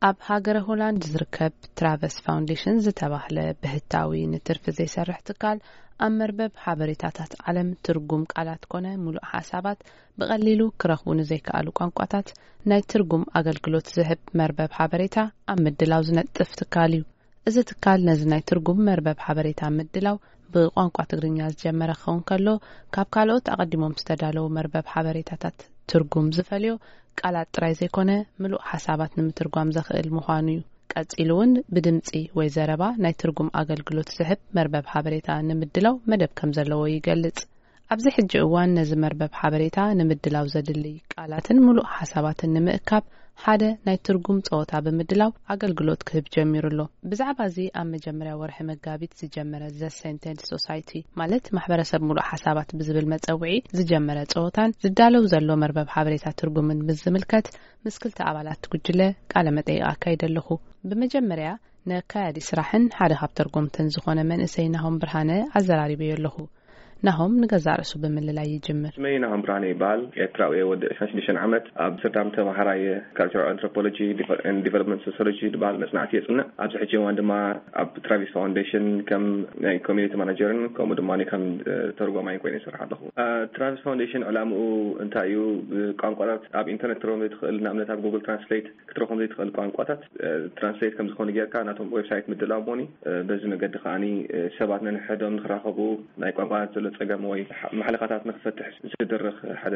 ኣብ ሃገረ ሆላንድ ዝርከብ ትራቨስ ፋውንዴሽን ዝተባህለ ብህታዊ ንትርፊ ዘይሰርሕ ትካል፣ ኣብ መርበብ ሓበሬታታት ዓለም ትርጉም ቃላት ኮነ ምሉእ ሓሳባት ብቐሊሉ ክረኽቡ ንዘይከኣሉ ቋንቋታት ናይ ትርጉም ኣገልግሎት ዝህብ መርበብ ሓበሬታ ኣብ ምድላው ዝነጥፍ ትካል እዩ። እዚ ትካል ነዚ ናይ ትርጉም መርበብ ሓበሬታ ምድላው ብቋንቋ ትግርኛ ዝጀመረ ክኸውን ከሎ፣ ካብ ካልኦት ኣቐዲሞም ዝተዳለዉ መርበብ ሓበሬታታት ትርጉም ዝፈልዮ ቃላት ጥራይ ዘይኮነ፣ ምሉእ ሓሳባት ንምትርጓም ዘኽእል ምዃኑ እዩ። ቀጺሉ እውን ብድምጺ ወይ ዘረባ ናይ ትርጉም ኣገልግሎት ዝህብ መርበብ ሓበሬታ ንምድላው መደብ ከም ዘለዎ ይገልጽ። ኣብዚ ሕጂ እዋን ነዚ መርበብ ሓበሬታ ንምድላው ዘድልይ ቃላትን ምሉእ ሓሳባትን ንምእካብ ሓደ ናይ ትርጉም ጸወታ ብምድላው ኣገልግሎት ክህብ ጀሚሩ ኣሎ። ብዛዕባ እዚ ኣብ መጀመርያ ወርሒ መጋቢት ዝጀመረ ዘ ሴንቴንስ ሶሳይቲ፣ ማለት ማሕበረሰብ ምሉእ ሓሳባት ብዝብል መጸውዒ ዝጀመረ ጸወታን ዝዳለው ዘሎ መርበብ ሓበሬታ ትርጉምን ምስ ዝምልከት ምስ ክልተ ኣባላት ጉጅለ ቃለ መጠይቕ ኣካይደ ኣለኹ። ብመጀመርያ ነካያዲ ስራሕን ሓደ ካብ ተርጎምትን ዝኾነ መንእሰይ ናሆም ብርሃነ ኣዘራሪበዮ ኣለኹ። ናሆም ንገዛእ ርእሱ ብምልላይ ይጅምር። ስመይ ናሆም ብርሃነ ይበሃል። ኤርትራዊ እየ። ወዲ ዕስራን ሽዱሽተን ዓመት። ኣብ ኣምስተርዳም ተምሃራይ እየ። ካልቸራል ኣንትሮፖሎጂ ኤንድ ዲቨሎፕመንት ሶሲዮሎጂ ዝበሃል መጽናዕቲ የጽንዕ። ኣብዚ ሕጂ እዋን ድማ ኣብ ትራቪስ ፋውንዴሽን ከም ናይ ኮሚኒቲ ማናጀርን ከምኡ ድማ ከም፣ እ፣ ተርጓማይን ኮይነ ይሰርሕ ኣለኹ። እ፣ ትራቪስ ፋውንዴሽን ዕላምኡ እንታይ እዩ? ብቋንቋታት ኣብ ኢንተርኔት ትረኽቦም ዘይትኽእል፣ ንኣብነት ኣብ ጉግል ትራንስሌት ክትረኽቦም ዘይትኽእል ቋንቋታት፣ እ፣ ትራንስሌት ከም ዝኾኑ ጌርካ ናቶም ዌብሳይት ምድላው እሞኒ፣ እ፣ በዚ መገዲ ከኣኒ፣ እ፣ ሰባት ነንሕዶም ንኽራኸቡ ናይ ቋንቋታት ዘሎ ጸገም ወይ ሓ-፣ ማሕለኻታት ንኽፈትሕ ዝድርኽ ሓደ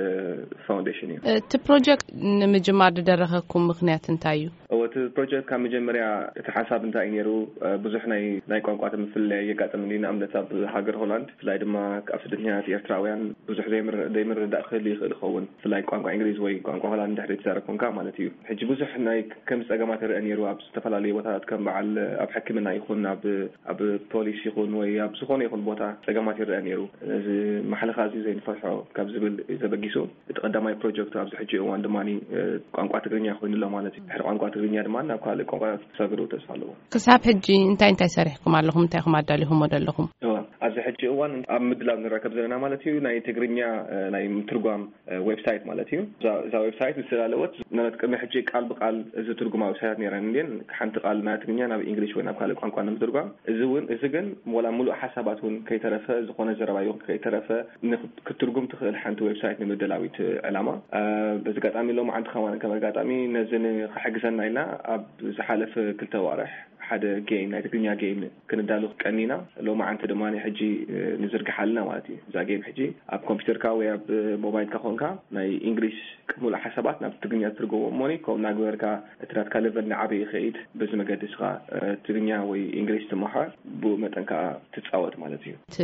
ፋውንዴሽን እዩ። እቲ ፕሮጀክት ንምጅማር ዝደረኸኩም ምኽንያት እንታይ እዩ? እወ፣ እቲ ፕሮጀክት ካብ መጀመርያ እቲ ሓሳብ እንታይ እዩ ነይሩ? እ፣ ብዙሕ ናይ፣ ናይ ቋንቋ ምፍልላይ የጋጥም እዩ። ንኣብነት ኣብ ሃገር ሆላንድ፣ ብፍላይ ድማ ኣብ ስደተኛታት ኤርትራውያን ብዙሕ ዘይምር-፣ ዘይምርድዳእ ክህሉ ይኽእል ይኸውን። ብፍላይ ቋንቋ እንግሊዝ ወይ ቋንቋ ሆላንድ እንድሕር ትዛረብ ኮንካ ማለት እዩ። ሕጂ ብዙሕ ናይ ከምዚ ጸገማት ይረአ ነይሩ። ኣብ ዝተፈላለዩ ቦታታት ከም በዓል ኣብ ሕክምና ይኹን ኣብ፣ ኣብ ፖሊስ ይኹን ወይ ኣብ ዝኾነ ይኹን ቦታ ጸገማት ይረአ ነይሩ። እዚ ማሕለኻ እዚ ዘይንፈትሖ ካብ ዝብል እዩ ተበጊሱ። እቲ ቀዳማይ ፕሮጀክቱ ኣብዚ ሕጂ እዋን ድማ፣ እ፣ ቋንቋ ትግርኛ ኮይኑ ኣሎ ማለት እዩ። ድሕሪ ቋንቋ ትግርኛ ድማ ናብ ካልእ ቋንቋታት ክሰግሩ ተስፋ ኣለዎ። ክሳብ ሕጂ እንታይ እንታይ ሰሪሕኩም ኣለኹም? እንታይ ኢኹም ኣዳሊኹሞ ዘለኹም? እወ፣ ኣብዚ ሕጂ እዋን ኣብ ምድላው ንርከብ ዘለና ማለት እዩ። ናይ ትግርኛ፣ እ፣ ናይ ምትርጓም፣ እ፣ ዌብሳይት ማለት እዩ። እዛ፣ እዛ ዌብሳይት ዝተዳለወት ማለት ቅድሚ ሕጂ ቃል ብቃል ዝትርጉማ ዌብሳይታት ነይረን እንድየን። ሓንቲ ቃል ናይ ትግርኛ ናብ እንግሊሽ ወይ ናብ ካልእ ቋንቋ ንምትርጓም። እዚ እውን፣ እዚ ግን ዋላ ምሉእ ሓሳባት እውን ከይተረፈ፣ ዝኾነ ዘረባ ይኹን ከይተረፈ ንክ-፣ ክትርጉም ትኽእል ሓንቲ ዌብሳይት ንምድላው እዩ እቲ ዕላማ። እ፣ በዚ ኣጋጣሚ ሎማዓንቲ ከማን ከም ኣጋጣሚ ነዚ ንኽሕግዘና ኢልና ኣብ ዝሓለፈ ክልተ ኣዋርሕ ሓደ ጌም፣ ናይ ትግርኛ ጌም ክንዳሉ ቀኒና። ሎማዓንቲ ድማ ሕጂ፣ እ፣ ንዝርግሓልና ማለት እዩ። እዛ ጌም ሕጂ ኣብ ኮምፒውተርካ ወይ ኣብ ሞባይልካ ኮንካ ናይ እንግሊሽ ሙሉእ ሓሳባት ናብ ትግርኛ ትርጉሞ እሞኒ፣ ከምኡ እናገበርካ እቲ ናትካ ሌቨል ንዓበ ይኸይድ። በዚ መገዲ እስኻ፣ እ፣ ትግርኛ ወይ እንግሊሽ ትመሃር፣ ብኡ መጠን ከኣ ትጻወት ማለት እዩ። እቲ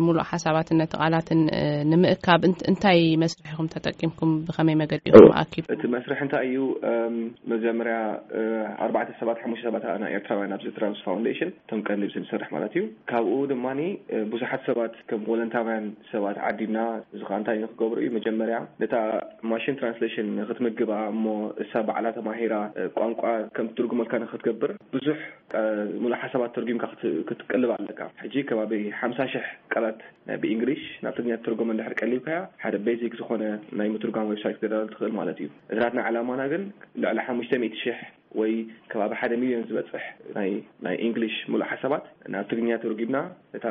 ሙሉእ ሓሳባትን ነቲ ቃላትን፣ እ፣ ንምእካብ እንት-፣ እንታይ መስርሕ ኢኹም ተጠቂምኩም? ብኸመይ መገዲ ኢኹም እወ። ኣኪብኩም? እቲ መስርሕ እንታይ እዩ? እም፣ መጀመርያ፣ እ፣ ኣርባዕተ ሰባት፣ ሓሙሽተ ሰባት ኣና ኤርትራውያን ኣብዚ ትራንስ ፋውንዴሽን፣ እቶም ቀንዲ ብስም ዝሰርሕ ማለት እዩ። ካብኡ ድማ፣ እ፣ ብዙሓት ሰባት ከም ቮለንታውያን ሰባት ዓዲምና፣ እዚ ኸኣ እንታይ ንክገብሩ እዩ? መጀመርያ ነታ ማሽን ትራንስሌሽን ንክትምግባ እሞ እሳ ባዕላ ተማሂራ፣ እ፣ ቋንቋ ከም ትትርጉመልካ ንክትገብር ብዙሕ፣ እ፣ ሙሉእ ሓሳባት ተርጒምካ ክት-፣ ክትቅልብ ኣለካ። ሕጂ ከባቢ ሓምሳ ሽሕ ቃላት ናይ ብእንግሊሽ ናብ ትግርኛ ትርጉም እንድሕር ቀሊብካያ፣ ሓደ ቤዚክ ዝኾነ ናይ ምትርጓም ዌብሳይት ክተዳሉ ትኽእል ማለት እዩ። እቲ ናትና ዕላማና ግን ልዕሊ ሓሙሽተ ሚእቲ ሽሕ ወይ ከባቢ ሓደ ሚልዮን ዝበጽሕ ናይ፣ ናይ እንግሊሽ ሙሉእ ሓሳባት ናብ ትግርኛ ተርጒምና እታ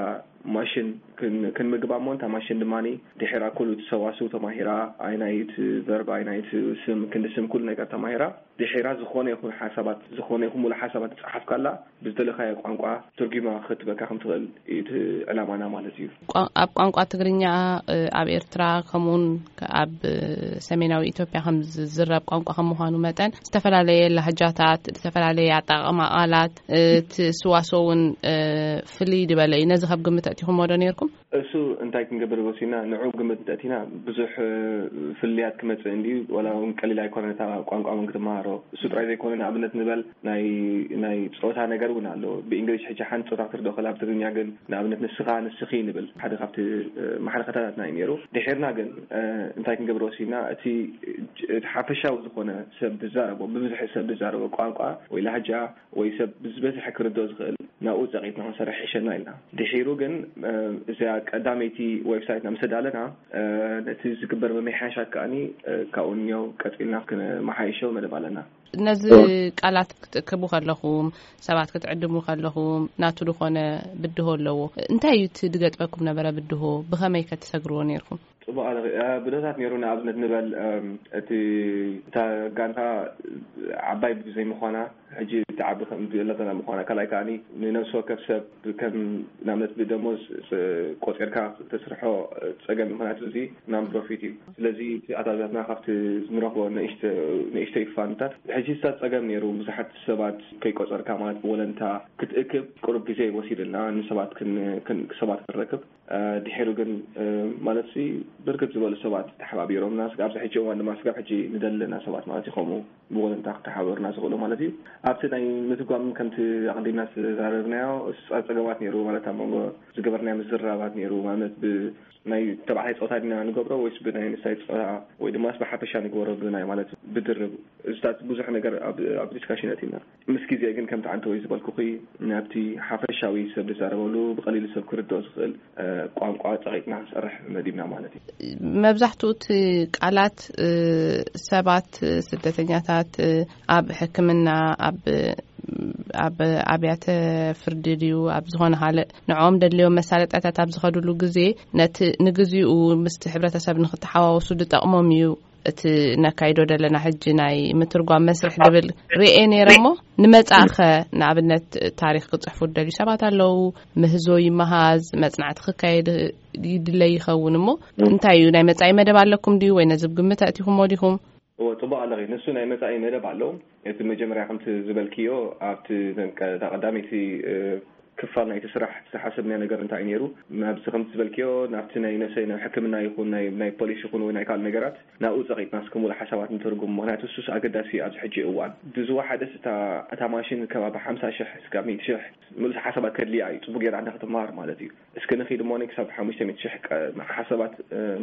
ማሽን ክን-፣ ክንምግባ እሞ፣ እታ ማሽን ድማ ድሒራ ኩሉ እቲ ሰዋስው ተማሂራ፣ ኣይ ናይ እቲ ቨርብ፣ ኣይ ናይ እቲ ስም፣ ክንዲ ስም፣ ኩሉ ነገር ተማሂራ፣ ድሒራ ዝኾነ ይኹን ሓሳባት፣ ዝኾነ ይኹን ሙሉእ ሓሳባት ዝጸሓፍካላ ብዝደለኻዮ ቋንቋ ትርጒማ ክትበካ ከም ትኽእል እዩ እቲ ዕላማና ማለት እዩ። ቋ-፣ ኣብ ቋንቋ ትግርኛ፣ እ፣ ኣብ ኤርትራ ከምኡውን ከ-፣ ኣብ፣ እ፣ ሰሜናዊ ኢትዮጵያ ከም ዝዝረብ ቋንቋ ከም ምዃኑ መጠን፣ ዝተፈላለየ ላህጃታት፣ ዝተፈላለየ ኣጠቓቕማ ቃላት፣ እ፣ እቲ ስዋስው እውን፣ እ፣ ፍልይ ዝበለ እዩ። ነዚ ካብ ግምት ኣእቲኹምዎ ዶ ነይርኩም? እሱ እንታይ ክንገብር ወሲና፣ ንዑ ግምት እንተእቲና ብዙሕ፣ እ፣ ፍልልያት ክመጽእ እንድዩ፣ ዋላ እውን ቀሊል ኣይኮነን እታ ቋንቋ እውን ክትመሃሮ። እሱ ጥራይ ዘይኮነ፣ ንኣብነት ንበል ናይ፣ ናይ ጾታ ነገር እውን ኣሎ። ብእንግሊሽ ሕጂ ሓንቲ ጾታ ክትርድኦ ከላ፣ ኣብ ትግርኛ ግን ንኣብነት ንስኻ፣ ንስኺ ንብል። ሓደ ካብቲ፣ እ፣ ማሕለኸታታትና እዩ ነይሩ። ድሒርና ግን፣ እ፣ እንታይ ክንገብር ወሲና፣ እቲ፣ እቲ ሓፈሻዊ ዝኾነ ሰብ ዝዛረቦ፣ ብብዝሒ ሰብ ዝዛረቦ ቋንቋ ወይ ላህጃ ወይ ሰብ ብዝበዝሐ ክርድኦ ዝኽእል ናብኡ ጸቂጥና ክንሰርሕ ይሕሸና ኢልና። ድሒሩ ግን እዚኣ ቀዳመይቲ ዌብሳይትና ምስ ኣዳለና ነቲ ዝግበር ምምሕያሻት ከኣኒ ካብኡ ንየው ቀጺልና ክንመሓይሾ መደብ ኣለና። ነዚ ቃላት ክትእክቡ ከለኹም፣ ሰባት ክትዕድሙ ከለኹም ናቱ ዝኾነ ብድሆ ኣለዎ። እንታይ እዩ እቲ ዝገጥመኩም ነበረ ብድሆ? ብኸመይ ከ ትሰግርዎ ነይርኩም? ጽቡቕ ኣለኺ። ብድሆታት ነይሩ። ንኣብነት ንበል እቲ እታ ጋንታ ዓባይ ብዘይ ምዃና ሕጂ ትዓቢ ከም ዘለና ምዃና፣ ካልኣይ ከኣ ንነፍሲ ወከፍ ሰብ ከም ንኣብነት ብደሞዝ ቆጺርካ ተስርሖ ጸገም፣ ምኽንያቱ እዚ ናን ፕሮፊት እዩ። ስለዚ እቲ ኣታዊታትና ካብቲ ንረኽቦ ንእሽተይ ፋንድታት ሕጂ ዝታት ጸገም ነይሩ። ብዙሓት ሰባት ከይቆጸርካ ማለት ብወለንታ ክትእክብ ቁሩብ ግዜ ወሲድልና ንሰባት ሰባት ክንረክብ ድሒሩ ግን ማለት ሲ ብርክት ዝበሉ ሰባት ተሓባቢሮምና፣ ስጋብ ኣብዚ ሕጂ እዋን ድማ ስጋብ ሕጂ ንደሊ ኣለና ሰባት ማለት እዩ። ከምኡ ብወለንታ ክተሓበሩና ዝኽእሉ ማለት እዩ። ኣብቲ ናይ ምትጓም ከምቲ ኣቐዲምና ዝተዛረብናዮ ጸገማት ነይሩ ማለት ኣብ መንጎ ዝገበርናዮ ምዝርራባት ነይሩ ማለት ብ ናይ ተባዕታይ ጾታ ዲና ንገብሮ ወይስ ብናይ ንሳይ ጾታ ወይ ድማ ብሓፈሻ ንግበሮ ብናይ ማለት ብድርብ እዚታት ብዙሕ ነገር ኣብ ዲስካሽን ኣቲና ምስ ግዜ ግን ከምቲ ዓንተ ወይ ዝበልኩኺ ናብቲ ሓፈሻዊ ሰብ ዝዛረበሉ ብቐሊሉ ሰብ ክርድኦ ዝኽእል ቋንቋ ጸቒጥና ክንሰርሕ መዲብና ማለት እዩ። መብዛሕትኡ እቲ ቃላት ሰባት ስደተኛታት ኣብ ሕክምና ኣብ ኣብ ኣብያተ ፍርዲ ድዩ ኣብ ዝኾነ ካልእ ንዕኦም ደድልዮም መሳለጥያታት ኣብ ዝኸድሉ ግዜ ነቲ ንግዚኡ ምስቲ ሕብረተሰብ ንክተሓዋወሱ ዝጠቕሞም እዩ። እቲ ነካይዶ ዘለና ሕጂ ናይ ምትርጓም መስርሕ ዝብል ርኤ ነይረ እሞ ንመጻእኸ ንኣብነት ታሪኽ ክጽሕፉ ዝደልዩ ሰባት ኣለዉ። ምህዞ ይመሃዝ መጽናዕቲ ክካየድ ይድለይ ይኸውን እሞ እንታይ እዩ ናይ መጻኢ መደብ ኣለኩም ድዩ ወይ ነዚ ብግምት ኣእቲኹሞ ዲኹም? እወ ጽቡቕ ኣለኺ። ንሱ ናይ መጻኢ መደብ ኣሎ። እቲ መጀመርያ ከምቲ ዝበልክዮ ኣብቲ እታ ቀዳመይቲ ክፋል ናይቲ ስራሕ ዝተሓሰብናዮ ነገር እንታይ እዩ ነይሩ? ናብዚ ከምቲ ዝበልክዮ ናብቲ ናይ ነሰይ ናይ ሕክምና ይኹን ናይ ናይ ፖሊስ ይኹን ወይ ናይ ካልእ ነገራት ናብኡ ጸቒጥና እስከ ሙሉእ ሓሳባት ንተርጉም። ምኽንያቱ እሱስ ኣገዳሲ ኣብዚ ሕጂ እዋን። ብዝወሓደስ እታ እታ ማሽን ከባቢ ሓምሳ ሽሕ እስካብ ሚእቲ ሽሕ ምሉእ ሓሳባት ከድልያ እዩ። ጽቡቕ ጌራ እንዳ ክትመሃር ማለት እዩ። እስከ ንኺድ እሞ ክሳብ ሓሙሽተ ሚእቲ ሽሕ ሓሳባት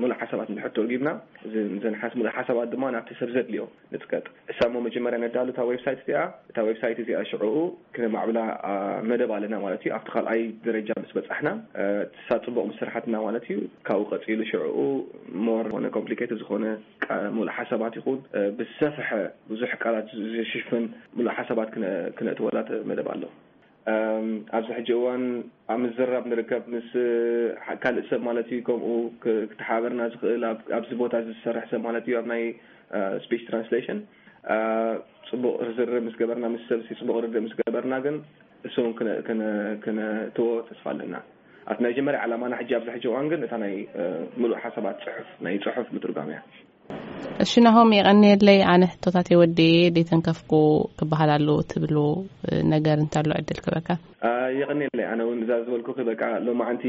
ሙሉእ ሓሳባት እንድሕር ተርጉምና እዘን ሙሉእ ሓሳባት ድማ ናብቲ ሰብ ዘድልዮ ንጥቀጥ። እሳ እሞ መጀመርያ ነዳሉ እታ ዌብሳይት እዚኣ እታ ዌብሳይት እዚኣ ሽዕኡ ክነማዕብላ መደብ ኣለና ማለት እዩ። ኣብቲ ካልኣይ ደረጃ ምስ በጻሕና እሳ ጽቡቕ ምስ ስርሓትና ማለት እዩ። ካብኡ ቀጺሉ ሽዕኡ ሞር ዝኾነ ኮምፕሊኬትድ ዝኾነ ሙሉእ ሓሳባት ይኹን ብዝሰፍሐ ብዙሕ ቃላት ዝሽፍን ሙሉእ ሓሳባት ክነእትወላ መደብ ኣሎ። ኣብዚ ሕጂ እዋን ኣብ ምዝራብ ንርከብ ምስ ካልእ ሰብ ማለት እዩ። ከምኡ ክተሓበርና ዝኽእል ኣብዚ ቦታ እዚ ዝሰርሕ ሰብ ማለት እዩ ኣብ ናይ ስፒች ትራንስሌሽን ጽቡቕ ርዝርብ ምስ ገበርና ምስ ሰብ ጽቡቕ ርድእ ምስ ገበርና ግን እሱ እውን ክነእትዎ ተስፋ ኣለና። ኣብቲ ናይ መጀመርያ ዕላማና ሕጂ ኣብዚ ሕጂ እዋን ግን እታ ናይ ምሉእ ሓሳባት ጽሑፍ ናይ ጽሑፍ ምትርጓም እያ። እሺ ናሆም የቐንየለይ። ኣነ ሕቶታት የወድየ ደይተንከፍኩ ክበሃል ኣለዎ ትብልዎ ነገር እንታሎ ዕድል ክበካ። የቐንየለይ። ኣነ እውን እዛ ዝበልኩ በቃ ሎማዓንቲ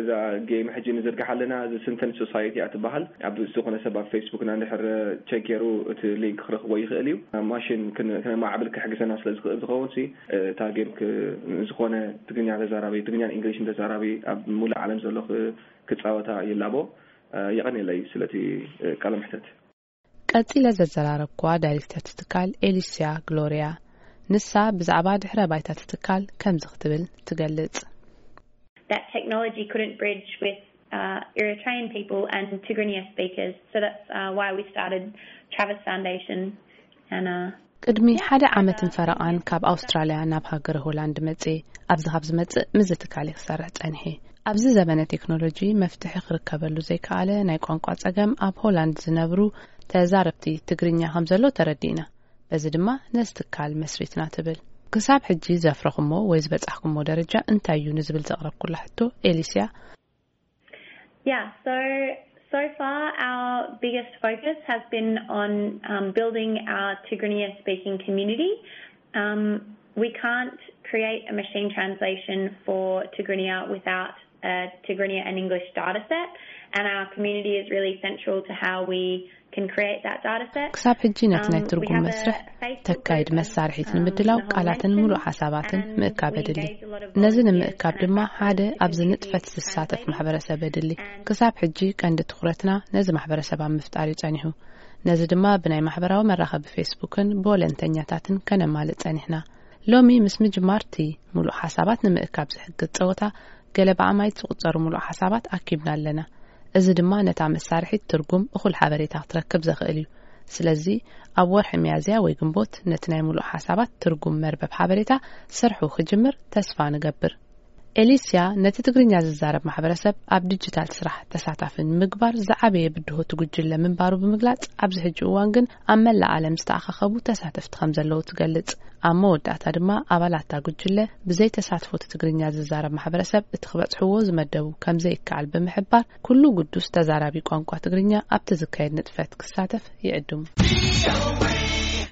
እዛ ጌም ሕጂ ንዝርግሕ ኣለና እዚ ስንተን ሶሳይቲ እያ ትበሃል። ኣብ ዝኾነ ሰብ ኣብ ፌስቡክና እንድሕር ቸክ ገይሩ እቲ ሊንክ ክረኽቦ ይኽእል እዩ። ማሽን ክነማዕብል ክሕግዘና ስለ ዝኽእል ዝኸውን ሲ እታ ጌም ዝኾነ ትግርኛ ተዛራቢ ትግርኛን እንግሊሽን ተዛራቢ ኣብ ሙሉእ ዓለም ዘሎ ክጻወታ ይላቦ። የቐንየለይ ስለቲ ቃለ መሕተት። ቀጺለ ዘዘራረብኩዋ ዳይሬክተር እቲ ትካል ኤሊስያ ግሎርያ፣ ንሳ ብዛዕባ ድሕረ ባይታ እቲ ትካል ከምዚ ክትብል ትገልጽ። That technology couldn't bridge with uh, Eritrean people and Tigrinya speakers. So that's uh, why we started Travis Foundation. And uh, ቅድሚ ሓደ ዓመትን ፈረቓን ካብ ኣውስትራልያ ናብ ሃገረ ሆላንድ መጽየ ኣብዚ ካብ ዝመጽእ ምስዚ ትካል እየ ክሰርሕ ጸኒሐ። ኣብዚ ዘበነ ቴክኖሎጂ መፍትሒ ክርከበሉ ዘይከኣለ ናይ ቋንቋ ጸገም ኣብ ሆላንድ ዝነብሩ ተዛረብቲ ትግርኛ ከም ዘሎ ተረዲእና። በዚ ድማ ነዚ ትካል መስሪትና ትብል። ክሳብ ሕጂ ዘፍረኹሞ ወይ ዝበጻሕኩሞ ደረጃ እንታይ እዩ ንዝብል ዘቕረብኩላ ሕቶ ኤሊስያ Yeah, so so far our biggest focus has been on um, building our Tigrinya speaking community. Um, we can't create a machine translation for Tigrinya without a Tigrinya and English data set, and our community is really central to how we can create that data set. ክሳብ ሕጂ ነቲ ናይ ትርጉም መስርሕ ተካይድ መሳርሒት ንምድላው ቃላትን ሙሉእ ሓሳባትን ምእካብ ኣድሊ። ነዚ ንምእካብ ድማ ሓደ ኣብዚ ንጥፈት ዝሳተፍ ማሕበረሰብ ኣድሊ። ክሳብ ሕጂ ቀንዲ ትኹረትና ነዚ ማሕበረሰብ ኣብ ምፍጣር እዩ ጸኒሑ። ነዚ ድማ ብናይ ማሕበራዊ መራኸቢ ፌስቡክን ብወለንተኛታትን ከነማልእ ጸኒሕና። ሎሚ ምስ ምጅማርቲ ምሉእ ሓሳባት ንምእካብ ዝሕግዝ ጸወታ፣ ገለ ብኣማይት ዝቑጸሩ ምሉእ ሓሳባት ኣኪብና ኣለና። እዚ ድማ ነታ መሳርሒት ትርጉም እኹል ሓበሬታ ክትረክብ ዘኽእል እዩ። ስለዚ ኣብ ወርሒ ሚያዝያ ወይ ግንቦት ነቲ ናይ ምሉእ ሓሳባት ትርጉም መርበብ ሓበሬታ ስርሑ ክጅምር ተስፋ ንገብር። ኤሊስያ ነቲ ትግርኛ ዝዛረብ ማሕበረሰብ ኣብ ዲጂታል ስራሕ ተሳታፊ ንምግባር ዝዓበየ ብድሆ እቲ ጉጅለ ምንባሩ ብምግላጽ፣ ኣብዚ ሕጂ እዋን ግን ኣብ መላእ ዓለም ዝተኣኻኸቡ ተሳተፍቲ ከም ዘለዉ ትገልጽ። ኣብ መወዳእታ ድማ ኣባላት እታ ጉጅለ ብዘይ ተሳትፎ እቲ ትግርኛ ዝዛረብ ማሕበረሰብ እቲ ክበጽሕዎ ዝመደቡ ከም ዘይከኣል ብምሕባር፣ ኩሉ ግዱስ ተዛራቢ ቋንቋ ትግርኛ ኣብቲ ዝካየድ ንጥፈት ክሳተፍ ይዕድሙ።